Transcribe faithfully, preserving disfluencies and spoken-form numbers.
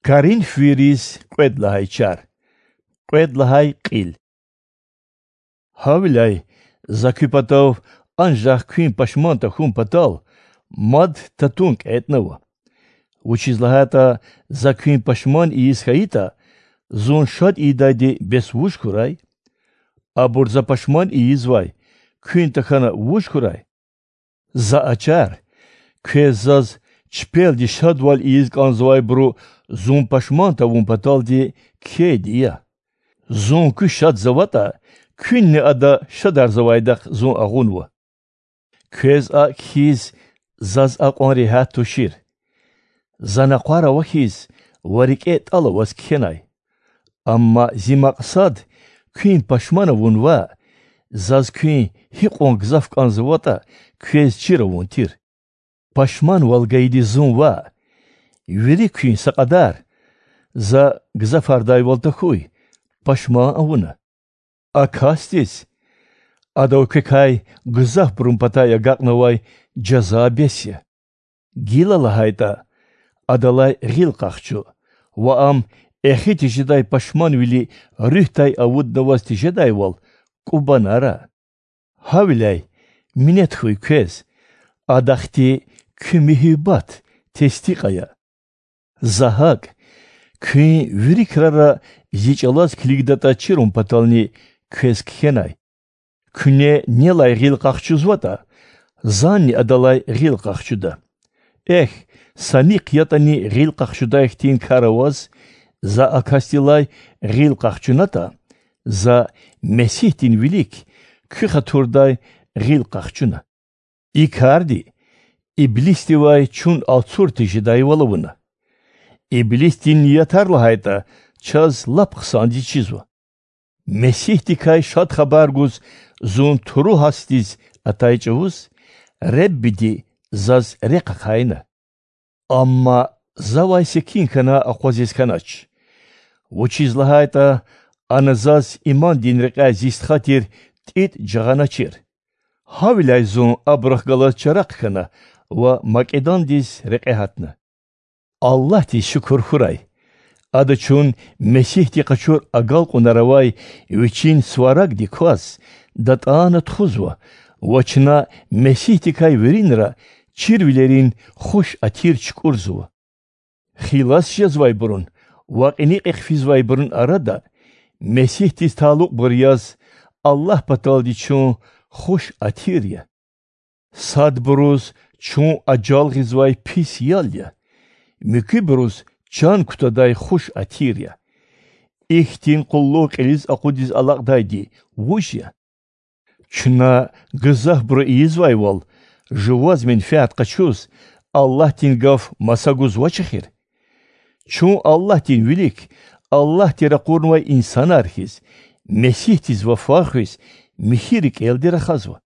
Коринфвийриз кьвед лагьай чар, кьвед лагьай кьил. Гьавиляй за куь патав анжах куьн пашман тахьун патал мад татун кьетӀнава. Вучиз лагьайтӀа за куьн пашман ийиз хьайитӀа, зун шад ийидайди бес вуж хьурай? Абур за пашман ийизвай куьн тахьана вуж хьурай? За а чар квез заз чпелди шадвал ийиз кӀанзавайбуру зун пашман тавун паталди кхьейди я. Зун куь шадзаватӀа, куьнни ада шадарзавайдахъ зун агъунва. Квез акӀ хьиз заз акьван регьят тушир. За накъвар авахьиз ва рикӀе тӀал аваз кхьенай. Амма зи макьсад куьн пашман авун ваъ, заз куьн гьикьван гзаф кӀанзаватӀа квез чир авун тир. Пашманвал гайиди зун ваъ, вири куьн са кьадар, за гзафардайвал тахьуй, пашман авуна. А касдиз адав квекай гзафбурун патай агакьнавай жаза бес я. Гила лагьайтӀа, адалай гъил къахчу ва ам эхи тежедай пашманвили руьгьдай авуднаваз тежедайвал кӀубанара. Гьавиляй, минет хьуй квез, ада хьтин куь муьгьуьббат тестикь ая. За гьакӀ куьн вири крара зи чӀалаз килигдатӀа чирун патални квез кхьенай. Куьне нелай гъил къахчузватӀа, занни адалай гъил къахчуда. Эхь, са нихъ ятӀани гъил къахчудай хьтин кар аваз, за а касдилай гъил къахчунатӀа, за Месигьдин вилик куь хатурдай гъил къахчуна. И карди Иблисдивай чун алцур тежедайвал авуна. Иблисдин ниятар лагьайтӀа, чаз лап хъсандиз чизва. Месигьдикай Шад Хабар гуз зун туру гьасдиз атай чӀавуз Реббиди заз рехъ ахъайна. Амма завай секин хьана акъвазиз хьанач, вучиз лагьайтӀа ана заз имандин рекьяй зи стха тир ТӀитӀ жагъаначир. Гьавиляй зун абурухъ галаз чарахъ хьана ва Македондиз рекье гьатна. Аллагьдиз шукур хьурай, Ада чун Месигьди къачур агалкьунар авай Вичин сварагдик кваз датӀана тухузва ва чна Месигьдикай виринра чирвилерин хуш атир чукӀурзава. Хилас жезвайбурун ва кьиникьихъ физвайбурун арада Месигьдиз талукьбур яз Аллагь паталди чун хуш атир я. Садбуруз чун ажал гъизвай пис ял я, муькуьбуруз чан кутадай хуш атир я. Ихьтин къуллугъ кьилиз акъудиз алакьдайди вуж я? Чна гзафбуру ийизвайвал жуваз менфят къачуз Аллагьдин гаф маса гузвач эхир? Чун Аллагьдин вилик, Аллагьди ракъурнавай инсанар хьиз, Месигьдиз вафа хуьз, михьи рикӀелди рахазва.